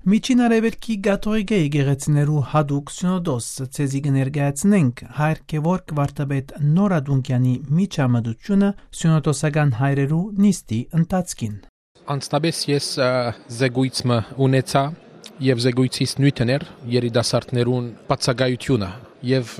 Միջին արևելքի գաթողիկե եկեղեցիներու հadouk սյունոդոս ցեզի կներկայացնենք Հայր Գևորգ Վարդապետ Նորադունկյանի միջամտությունը սյունոդոսական հայրերու նիստի ընթացքին։ Անցնաբես ես զեկույցը ունեցա եւ զեկույցից նույնտներ երիտասարդներուն բացակայությունը եւ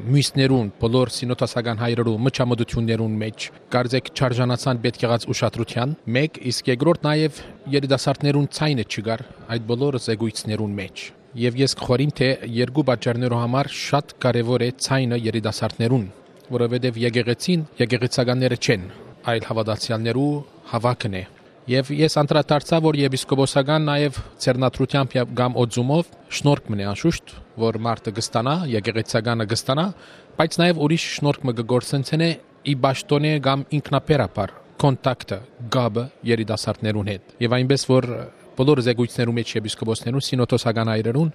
մյուսներուն բոլոր սինոդոսական հայրերու միջամտություններուն մեջ կարծեք չարժանացան պետք եղած ուշադրության մեկ իսկ երկրորդ նաեւ երիտասարդներուն ցայնը չգար այդ բոլոր զեկույցներուն մեջ եւ ես խորին թե երկու պատճառներով համար շատ կարեւոր է ցայնը երիտասարդներուն որովհետեւ եկեղեցականները չեն այլ հավատացյալներու հավաքն է Եվ ես անդրադարձա, որ եպիսկոպոսական նաև ցերնատրությամբ կամ օձումով շնորհք մնե անշուշտ, որ մարդը կստանա, եկեղեցականը կստանա, բայց նաև ուրիշ շնորհք մը կգործընցեն է ի բաշտոնե կամ ինքնաբերաբար կոնտակտը, գաբը երիտասարդներուն հետ։ Եվ այնպես որ բոլոր զեկույցներու մեջ եպիսկոպոսներուն սինոդոսական հայրերուն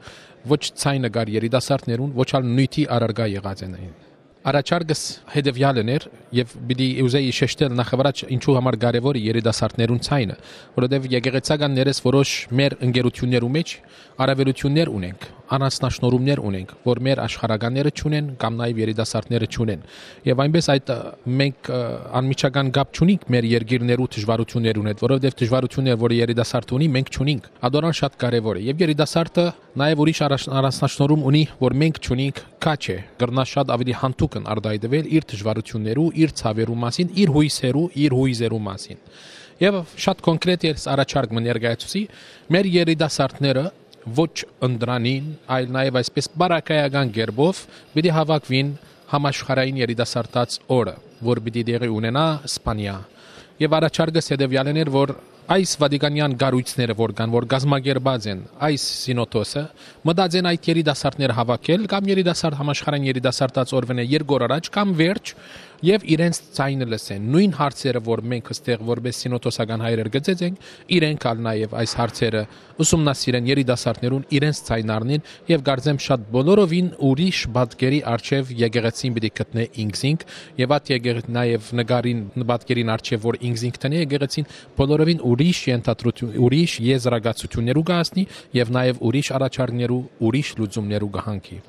ոչ ցայնը գար երիտասարդներուն, ոչ ալ նույնի առարգա եղած են։ Առաջարկս հետևյալն էր եւ պիտի ուզեի շեշտել նախավարաճ ինչու համար կարեւոր է երիտասարդներուն ցայնը, որովհետեւ եկեղեցականներս որոշ մեր ընկերություններու մեջ առավելություններ ունենք, առանձնաշնորհումներ ունենք, որ մեր աշխարհականները չունեն կամ նաեւ երիտասարդները չունեն։ Եվ այնպես այդ մենք անմիջական գապ չունենք մեր երկիրներու դժվարություններուն հետ, որովհետեւ դժվարությունները, որ երիտասարդը ունի, մենք չունենք։ Ադորան շատ կարեւոր է եւ երիտասարդը նաեւ ուրիշ առանձնաշնորհում ունի, որ մենք չունենք, քաչ է, գրնա շատ ավելի հանդուկ արտայդվել իր դժվարություններու, իր ցավերու մասին, իր հույզերու մասին։ Եվ շատ կոնկրետ է առաջարկը ներկայացուցի մեր երիտասարդները ոչ ընդրանին, այլ նաև այսպես բարակայական գերբով պիտի հավաքվին համաշխարհային երիտասարդաց օրը, որ պիտի դեղի ունենա Իսպանիա։ Եվ առաջարկը հետևյալն էր, որ այս վատիկանյան գառույցները որ կան, որ գազմագերբած են, այս սինոդոսը մտածեն այդ երիտասարդները հավաքել կամ երիտասարդ համաշխարհային երիտասարդաց օրվենը երկու առաջ կամ վերջ եւ իրենց ցայնը լսեն նույն հարցերը որ մենք այստեղ որպես սինոդոսական հայրեր գծեցենք իրենք ալ նաեւ այս հարցերը ուսումնասիրեն երիտասարդներուն իրենց ցայնն առնին եւ գարձեմ շատ բոլորովին ուրիշ բادկերի արչեւ եկեղեցին պիտի գտնե ինքզինք եւ այդ եկեղեցին նաեւ նկարին բادկերին արչեւ որ ինքզինք տնի եկեղեցին բոլորովին ուրիշ ենթադրություն ուրիշ եզրակացություններու կհասնի եւ նաեւ ուրիշ առաջարկներու ուրիշ լուծումներու կհանքի